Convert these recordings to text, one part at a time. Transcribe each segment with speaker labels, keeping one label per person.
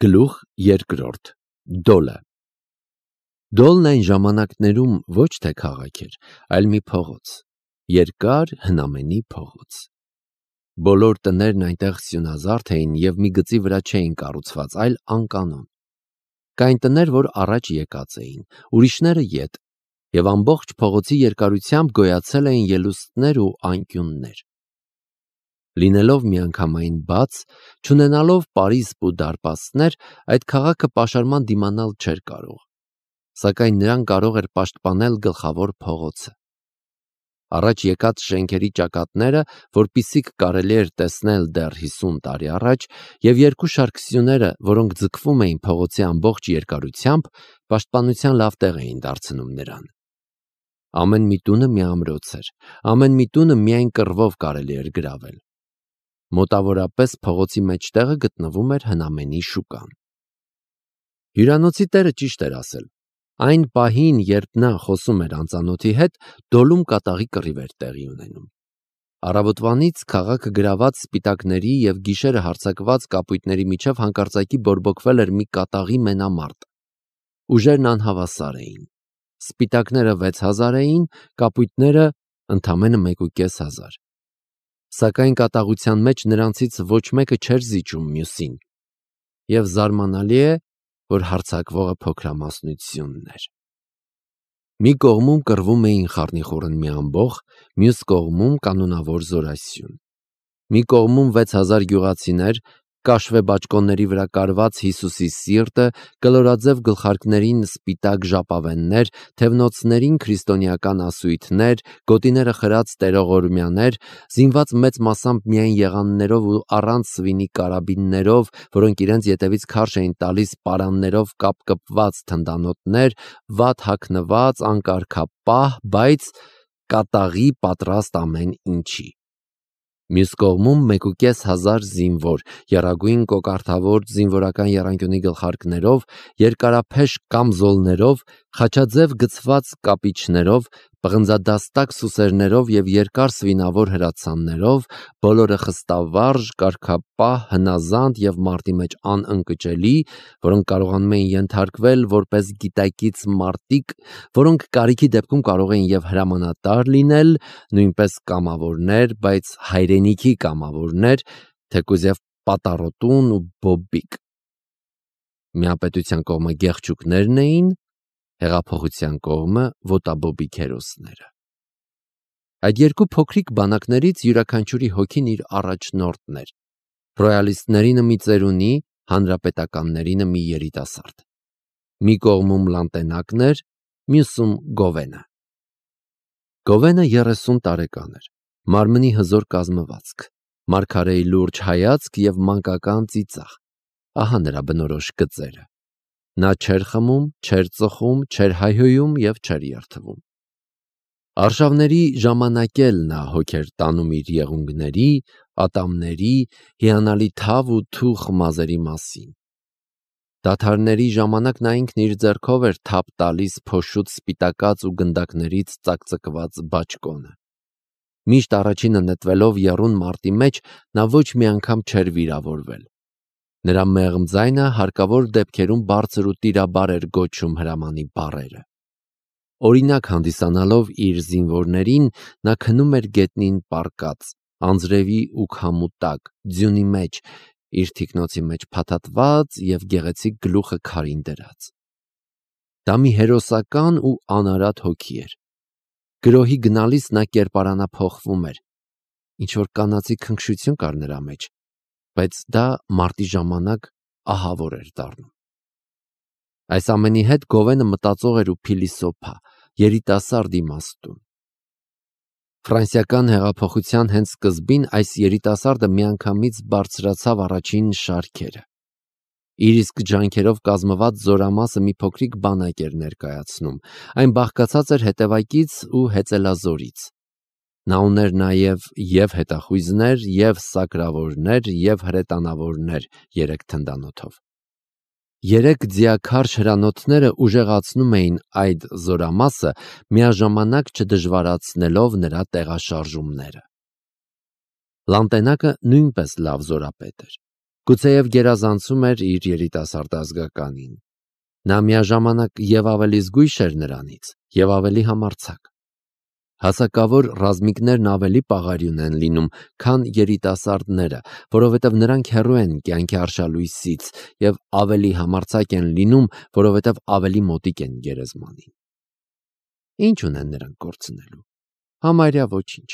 Speaker 1: Գլուխ երկրորդ Դոլը Դոլն այն ժամանակներում ոչ թե քաղաք էր, այլ մի փողոց, երկար հնամենի փողոց։ Բոլոր տներն այնտեղ սյունազարդ էին և մի գծի վրա չէին կառուցված, այլ անկանոն։ Կային տներ, որ առաջ եկած էին, ուրիշները ետ, և ամբողջ փողոցի երկարությամբ գոյացել էին ելուստներ ու անկյուններ։ Լինելով միանգամայն բաց, չունենալով պարիսպ ու դարպասներ, այդ քաղաքը պաշարման դիմանալ չէր կարող, սակայն նրան կարող էր պաշտպանել գլխավոր փողոցը։ Առաջ եկած շենքերի ճակատները, որպիսիք կարելի էր տեսնել դեռ 50 տարի առաջ, և երկու շարք սյուները, որոնք ձգվում էին փողոցի ամբողջ երկարությամբ, պաշտպանության լավ տեղ էին դարձնում նրան։ Ամեն մի տունը մի ամրոց էր, ամեն մի տունը միայն կռվով կարելի էր գրավել։ Մոտավորապես փողոցի մեջտեղը գտնվում էր հնամենի շուկան։ Հյուրանոցի տերը ճիշտ էր ասել։ Այն պահին, երբ նա խոսում էր անծանոթի հետ, դոլում կատաղի կռիվ էր տեղի ունենում։ Առավոտվանից քաղաքը գրաված սպիտակների և գիշերը հարձակված կապույտների միջև հանկարծակի բորբոքվել էր մի կատաղի մենամարտ։ Ուժերն անհավասար էին։ Սպիտակները 6000 էին, կապույտները ընդամենը 1500։ Սակայն կատաղության մեջ նրանցից ոչ մեկը չէր զիջում մյուսին, և զարմանալի է, որ հարձակվողը փոքրամասնությունն էր։ Մի կողմում կռվում էին խառնիխուռն մի ամբոխ, մյուս կողմում կանոնավոր զորասյուն։ Մի կողմում 6000 գյուղացիներ, կաշվե բաճկոնների վրա կարված Հիսուսի սիրտը, կլորաձև գլխարկներին սպիտակ ժապավեններ, թևնոցներին քրիստոնեական ասույթներ, գոտիները խրած տերողորմյաներ, զինված մեծ մասամբ միայն եղաններով ու առանց սվինի կարաբիններով, որոնք իրենց ետևից քարշ էին տալիս պարաններով կապկպված թնդանոթներ, վատ հագնված, անկարգապահ, բայց կատաղի պատրաստ ամեն ինչի։ Մյուս կողմում 1500 զինվոր, եռագույն կոկարդավոր զինվորական եռանկյունի գլխարկներով, երկարափեշ կամզոլներով, խաչաձև գծված կապիչներով, պղնձադաստակ սուսերներով և երկար սվինավոր հրացաններով, բոլորը խստավարժ, կարգապահ, հնազանդ և մարտի մեջ անընկճելի, որոնք կարողանում էին ենթարկվել որպես գիտակից մարտիկ, որոնք կարիքի դեպքում կարող էին և հրամանատար լինել, նույնպես կամավորներ, բայց հայրենիքի կամավորներ, թեկուզև պատառոտուն ու բոբիկ։ Միապետության կողմը գեղչուկներն էին, հեղափոխության կողմը ոտաբոբիկ հերոսները։ Այդ երկու փոքրիկ բանակներից յուրաքանչյուրի հոգին իր առաջնորդն էր, ռոյալիստներինը մի ծերունի, հանրապետականներինը մի երիտասարդ։ Մի կողմում Լանտենակն էր, մյուսում Գովենը։ Գովենը 30 տարեկան էր, մարմնի հզոր կազմվածք, մարգարեի լուրջ հայացք և մանկական ծիծաղ։ Ահա նրա բնորոշ գծերը։ Նա չէր խմում, չէր ծխում, չէր հայհոյում և չէր երդվում։ Արշավների ժամանակ էլ նա հոգ էր տանում իր եղունգների, ատամների, հիանալի թավ ու թուխ մազերի մասին։ Դադարների ժամանակ նա ինքն իր ձեռքով էր թափ տալիս փոշուտ սպիտակած ու գնդակներից ծակծկված բաճկոնը։ Միշտ առաջինը նետվելով եռուն մարտի մեջ, նա ոչ մի անգամ չէր վիրավորվել։ Նրա մեղմ ձայնը հարկավոր դեպքերում բարձր ու տիրաբար էր գոչում հրամանի բառերը։ Օրինակ հանդիսանալով իր զինվորներին, նա քնում էր գետնին պառկած, անձրևի ու քամու տակ, ձյունի մեջ, իր թիկնոցի մեջ փաթաթված և գեղեցիկ գլուխը քարին դրած։ Դա մի հերոսական ու անարատ հոգի էր։ Գրոհի գնալիս նա կերպարանափոխվում էր, ինչ-որ կանացի քնքշություն կար նրա մեջ, բայց դա մարտի ժամանակ ահավոր էր դառնում։ Այս ամենի հետ Գովենը մտածող էր ու փիլիսոփա, երիտասարդ իմաստուն։ Ֆրանսիական հեղափոխության հենց սկզբին այս երիտասարդը միանգամից բարձրացավ առաջին շարքերը։ Իր իսկ ջանքերով կազմված զորամասը մի փոքրիկ բանակ էր ներկայացնում։ Այն բաղկացած էր հետևակից ու հեծելազորից։ Նա ուներ նաև և հետախույզներ, և սակրավորներ, և հրետանավորներ 3 թնդանոթով։ 3 ձիաքարշ հրանոթները ուժեղացնում էին այդ զորամասը, միաժամանակ չդժվարացնելով նրա տեղաշարժումները։ Լանտենակը նույնպես լավ զորապետ էր։ Գուցեև գերազանցում էր իր երիտասարդ ազգականին։ Նա միաժամանակ և ավելի զգույշ էր նրանից, և ավելի համարձակ։ Հասակավոր ռազմիկներն ավելի պաղարյուն են լինում, քան երիտասարդները, որովհետև նրանք հեռու են կյանքի արշալույսից և ավելի համարձակ են լինում, որովհետև ավելի մոտիկ են գերեզմանին։ Ինչ ունեն նրանք կորցնելու։ Համարյա ոչինչ։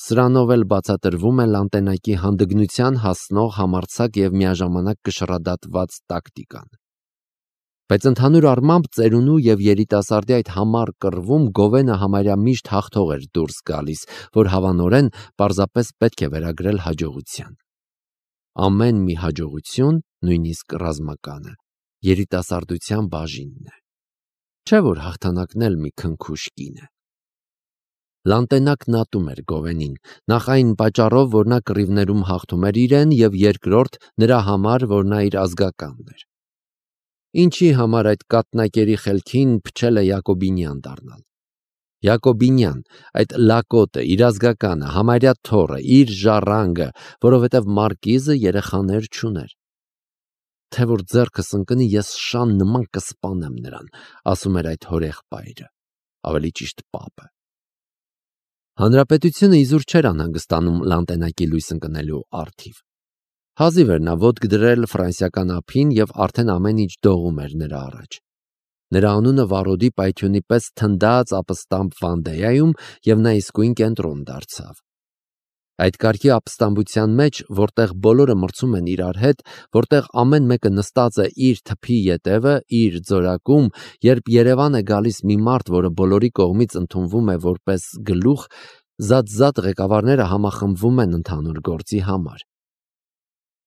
Speaker 1: Սրանով էլ բացատրվում է Լանտենակի հանդգնության հասնող համարձակ և միաժամանակ կշռադատված տակտիկան։ Բայց ընդհանուր առմամբ ծերունու և երիտասարդի այդ համառ կռվում Գովենը համարյա միշտ հաղթող էր դուրս գալիս, որ հավանորեն պարզապես պետք է վերագրել հաջողության։ Ամեն մի հաջողություն, նույնիսկ ռազմականը, երիտասարդության բաժինն է։ Չէ՞ որ հաղթանակն էլ մի քնքուշ կին է։ Լանտենակն ատում էր Գովենին, նախ այն պատճառով, որ նա կռիվներում հաղթում էր իրեն, և երկրորդ նրա համար, որ նա իր ազգականն էր։ Ինչի համար այդ կաթնակերի խելքին փչել է Յակոբինյան դառնալ։ Յակոբինյան, այդ լակոտը, իր ազգականը, համարյա թոռը, իր ժառանգը, որովհետև մարկիզը երեխաներ չուներ։ Թե որ ձեռքս ընկնի, ես շան նման կսպանեմ նրան, ասում էր այդ հորեղբայրը, ավելի ճիշտ պապը։ Հանրապետությունը իզուր չէր անհանգստանում Լանտենակի լույս ընկնելու առթիվ։ Հազիվ էր նա ոտք դրել ֆրանսիական ափին և արդեն ամեն ինչ դողում էր նրա առաջ։ Նրա անունը վառոդի պայթյունի պես թնդաց ապստամբ Վանդեայում և նա իսկույն կենտրոն դարձավ։ Այդ կարգի ապստամբության մեջ, որտեղ բոլորը մրցում են իրար հետ, որտեղ ամեն մեկը նստած է իր թփի ետևը, իր ձորակում, երբ Երևան է գալիս մի մարդ, որը բոլորի կողմից ընդունվում է որպես գլուխ, զատ ղեկավարները համախմբվում են ընդհանուր գործի համար։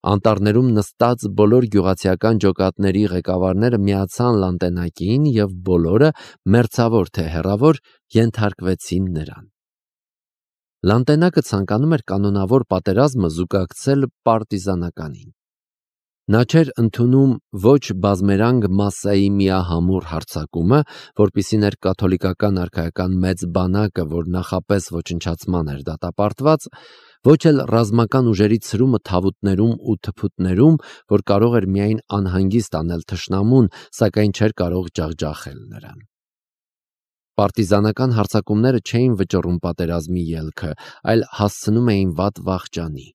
Speaker 1: Անտառներում նստած բոլոր գյուղացիական ջոկատների ղեկավարները միացան Լանտենակին և բոլորը, մերձավոր թե հեռավոր, ենթարկվեցին նրան։ Լանտենակը ցանկանում էր կանոնավոր պատերազմը զուգակցել պարտիզանականին։ Նա չէր ընդունում ոչ բազմերանգ մասսայի միահամուռ հարձակումը, որպիսին էր կաթոլիկական արքայական մեծ բանակը, որ նախապես ոչնչացման էր դատապարտված, ոչ էլ ռազմական ուժերի ցրումը թավուտներում ու թփուտներում, որ կարող էր միայն անհանգիստ անել թշնամուն, սակայն չէր կարող ջախջախել նրան։ Պարտիզանական հարձակումները չէին վճռում պատերազմի ելքը, այլ հասցնում էին վատ վախճանի։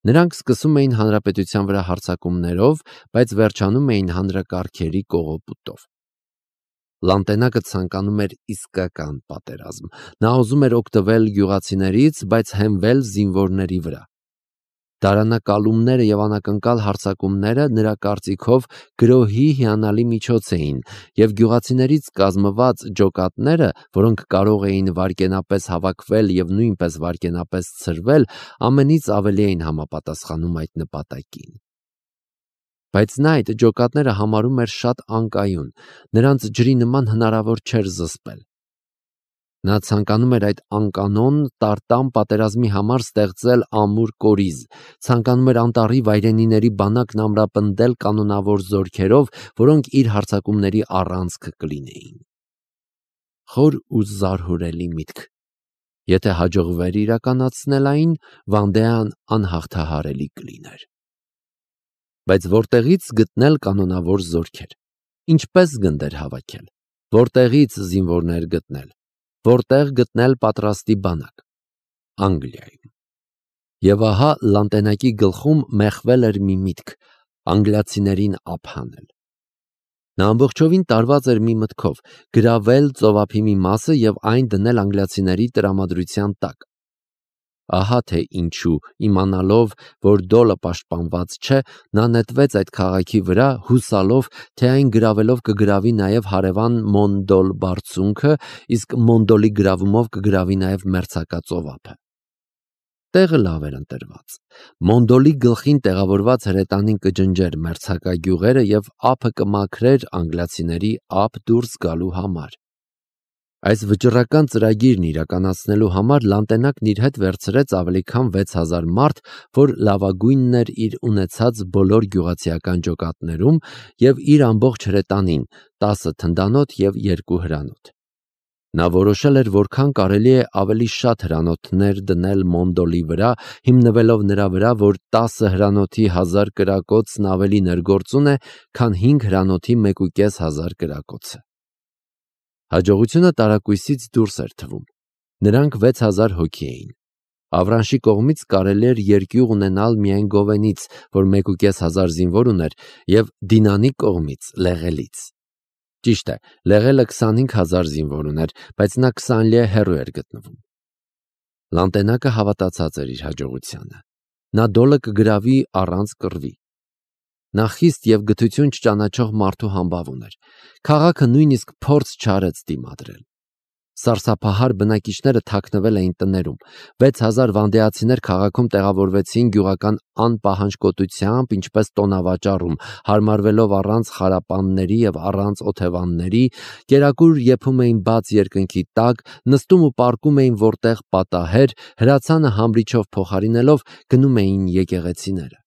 Speaker 1: Նրանք սկսում էին հանրապետության վրա հարձակումներով, բայց վերջանում էին հանրակարգերի կողոպուտով։ Լանտենակը ցանկանում էր իսկական պատերազմ։ Նա ուզում էր օգտվել գյուղացիներից, բայց հենվել զինվորների վրա։ Դարանակալումները և անակնկալ հարձակումները նրա կարծիքով գրոհի հիանալի միջոց էին, և գյուղացիներից կազմված ջոկատները, որոնք կարող էին վայրկենապես հավաքվել և նույնպես վայրկենապես ցրվել, ամենից ավելի էին համապատասխանում այդ նպատակին։ Բայց նա այդ ջոկատները համարում էր շատ անկայուն, նրանց ջրի նման հնարավոր չէր զսպել։ Նա ցանկանում էր այդ անկանոն տարտամ պատերազմի համար ստեղծել ամուր կորիզ, ցանկանում էր անտառի վայրենիների բանակն ամրապնդել կանոնավոր զորքերով, որոնք իր հարձակումների առանցքը կլինեին։ Խոր ու զարհուրելի միտք։ Եթե հաջողվեր իրականացնել այն, Վանդեան անհաղթահարելի կլիներ։ Բայց որտեղից գտնել կանոնավոր զորքեր։ Ինչպես գնդեր հավաքել։ Որտեղից զինվորներ գտնել։ Որտեղ գտնել պատրաստի բանակ։ Անգլիայում։ Եվ ահա Լանտենակի գլխում մեխվել էր մի միտք՝ անգլիացիներին ափ հանել։ Նա ամբողջովին տարված էր մի մտքով՝ գրավել ծովափի մի մասը և այն դնել անգլիացիների տրամադրության տակ։ Ահա թե ինչու, իմանալով, որ Դոլը պաշտպանված չէ, նա նետվեց այդ քաղաքի վրա, հուսալով, թե այն գրավելով կգրավի նաև հարևան Մոնդոլ բարձունքը, իսկ Մոնդոլի գրավումով կգրավի նաև մերձակա ծովափը։ Տեղը լավ էր ընտրված։ Մոնդոլի գլխին տեղավորված հրետանին կջնջեր մերձակա գյուղերը և ափը կմաքրեր անգլիացիների ափ դուրս գալու համար։ Այս վճռական ծրագիրն իրականացնելու համար Լանտենակն իր հետ վերցրեց ավելի քան 6000 մարդ, որ լավագույնն էր իր ունեցած բոլոր գյուղացիական ջոկատներում, և իր ամբողջ հրետանին՝ 10 թնդանոթ և 2 հրանոթ։ Նա որոշել էր որքան կարելի է ավելի շատ հրանոթներ դնել Մոնդոլի վրա, հիմնվելով նրա վրա, որ 10 հրանոթի 1000 կրակոցն ավելի ներգործուն է, քան 5 հրանոթի 1500 կրակոցը։ Հաջողությունը տարակույսից դուրս էր թվում։ Նրանք 6000 հոգի էին։ Ավրանշի կողմից կարելի էր երկյուղ ունենալ միայն Գովենից, որ 1500 զինվոր ուներ, և Դինանի կողմից Լեղելից։ Ճիշտ է, Լեղելը 25000 զինվոր ուներ, բայց նա 20 լիե հեռու էր գտնվում։ Լանտենակը հավատացած էր իր հաջողությանը։ Նա Դոլը կգրավի առանց կռվի։ Նա խիստ և գթություն չճանաչող մարդու համբավ ուներ։ Քաղաքը նույնիսկ փորձ չարեց դիմադրել։ Սարսափահար բնակիչները թաքնվել էին տներում։ 6000 վանդեացիներ քաղաքում տեղավորվեցին գյուղական անպահանջկոտությամբ, ինչպես տոնավաճառում, հարմարվելով առանց խարապանների և առանց օթևանների, կերակուր եփում էին բաց երկնքի տակ, նստում ու պառկում էին որտեղ պատահեր, հրացանը համրիչով փոխարինելով գնում էին եկեղեցիները։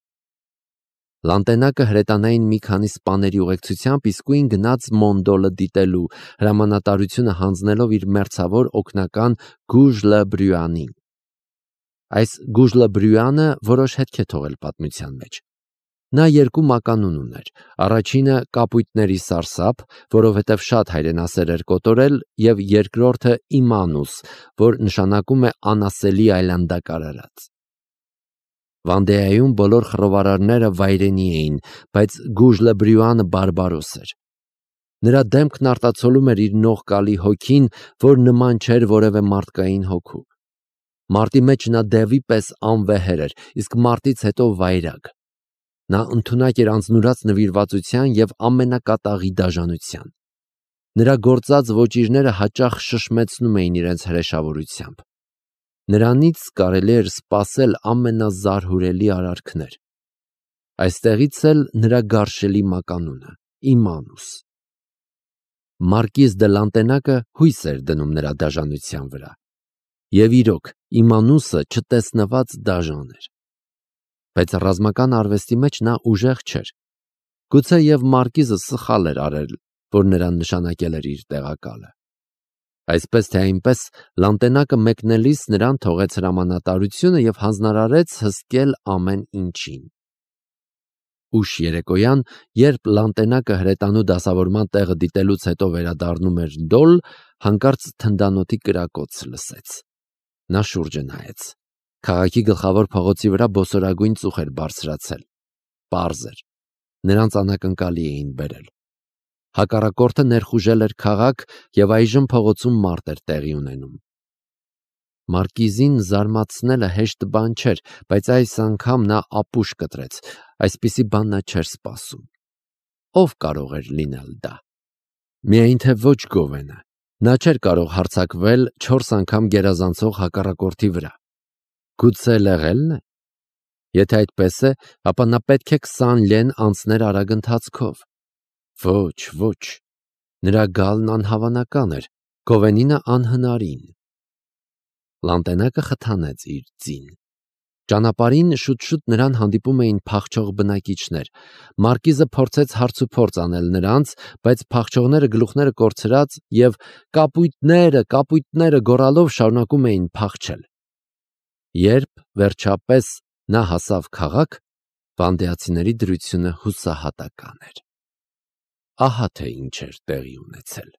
Speaker 1: Լանտենակը հրետանային մի քանի սպաների ուղեկցությամբ իսկույն գնաց Մոնդոլը դիտելու, հրամանատարությունը հանձնելով իր մերձավոր օգնական Գուժլը-Բրյուանին։ Այս Գուժլը-Բրյուանը որոշ հետք է թողել պատմության մեջ։ Նա 2 մականուն ուներ։ Առաջինը կապույտների սարսափ, որովհետև շատ հայրենասեր էր կոտորել, և երկրորդը Իմանուս, որ նշանակում է անասելի այլանդակարարած։ Վանդեայում բոլոր խռովարարները վայրենի էին, բայց Գուժլը-Բրյուանը բարբարոս էր։ Նրա դեմքն արտացոլում էր իր նողկալի հոգին, որ նման չէր որևէ մարդկային հոգու։ Մարտի մեջ նա դևի պես անվեհեր էր, իսկ մարտից հետո վայրագ։ Նա ընդունակ էր անձնուրաց նվիրվածության և ամենակատաղի դաժանության։ Նրա գործած ոճիրները հաճախ շշմեցնում էին իրենց հրեշավորությամբ։ Նրանից կարելի էր սպասել ամենազարհուրելի արարքներ։ Այստեղից էլ նրա գարշելի մականունը՝ Իմանուս։ Մարկիզ դե Լանտենակը հույս էր դնում նրա դաժանության վրա։ Եվ իրոք, Իմանուսը չտեսնված դաժան էր։ Բայց ռազմական արվեստի մեջ նա ուժեղ չէր։ Գուցե և Մարկիզը սխալ էր արել, որ նրան նշանակել էր իր տեղակալը։ Այսպես թե այնպես, Լանտենակը մեկնելիս նրան թողեց հրամանատարությունը և հանձնարարեց հսկել ամեն ինչին։ Ուշ երեկոյան, երբ Լանտենակը հրետանու դասավորման տեղը դիտելուց հետո վերադառնում էր Դոլ, հանկարծ թնդանոթի կրակոց լսեց։ Նա շուրջը նայեց։ Քաղաքի գլխավոր փողոցի վրա բոսորագույն ծուխ էր բարձրացել։ Պարզ էր։ Նրանց անակնկալի էին բերել։ Հակառակորդը ներխուժել էր քաղաք, և այժմ փողոցում մարտ էր տեղի ունենում։ Մարկիզին զարմացնելը հեշտ բան չէր, բայց այս անգամ նա ապուշ կտրեց։ Այսպիսի բան նա չէր սպասում։ Ով կարող էր լինել դա։ Միայն թե ոչ Գովենը։ Նա չէր կարող հարձակվել 4 անգամ գերազանցող հակառակորդի վրա։ Գուցե Լեղելն է։ Եթե այդպես է, ապա նա պետք է 20 լեն անցներ արագ ընթացքով։ Ոչ։ Նրա գալն անհավանական էր, Գովենինը անհնարին։ Լանտենակը խթանեց իր ձին։ Ճանապարհին շուտ-շուտ նրան հանդիպում էին փախչող բնակիչներ։ Մարկիզը փորձեց հարցուփորձ անել նրանց, բայց փախչողները գլուխները կորցրած և կապույտները գոռալով շարունակում էին փախչել։ Երբ վերջապես նա հասավ քաղաք, վանդեացիների դրությունը հուսահատական էր։ Ահա թե ինչ էր տեղի ունեցել։